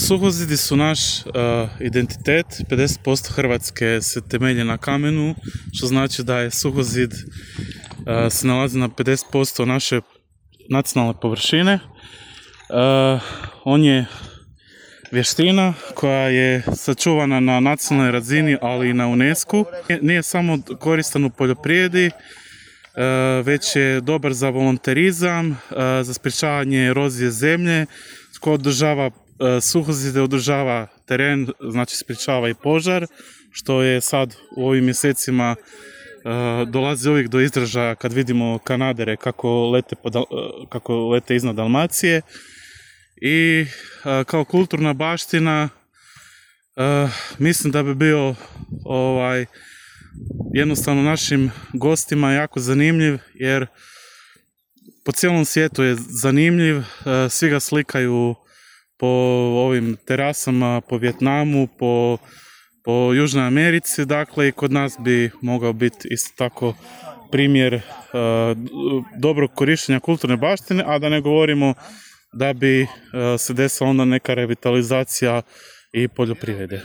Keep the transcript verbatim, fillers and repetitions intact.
Suhozidi su naš uh, identitet. pedeset posto Hrvatske se temelji na kamenu, što znači da je suhozid uh, se nalazi na pedeset posto naše nacionalne površine. Uh, on je vještina koja je sačuvana na nacionalnoj razini, ali i na UNESCO. Nije samo koristan u poljoprivredi, već je dobar za volonterizam, za sprječavanje erozije zemlje, tko održava suhozide, održava teren, znači sprječava i požar, što je sad u ovim mjesecima dolazi uvijek do izražaja kad vidimo kanadere kako lete, kako lete iznad Dalmacije. I kao kulturna baština mislim da bi bio ovaj jednostavno našim gostima jako zanimljiv, jer po cijelom svijetu je zanimljiv, svi ga slikaju po ovim terasama, po Vijetnamu, po, po Južnoj Americi, dakle i kod nas bi mogao biti isto tako primjer uh, dobrog korištenja kulturne baštine, a da ne govorimo da bi uh, se desila onda neka revitalizacija i poljoprivrede.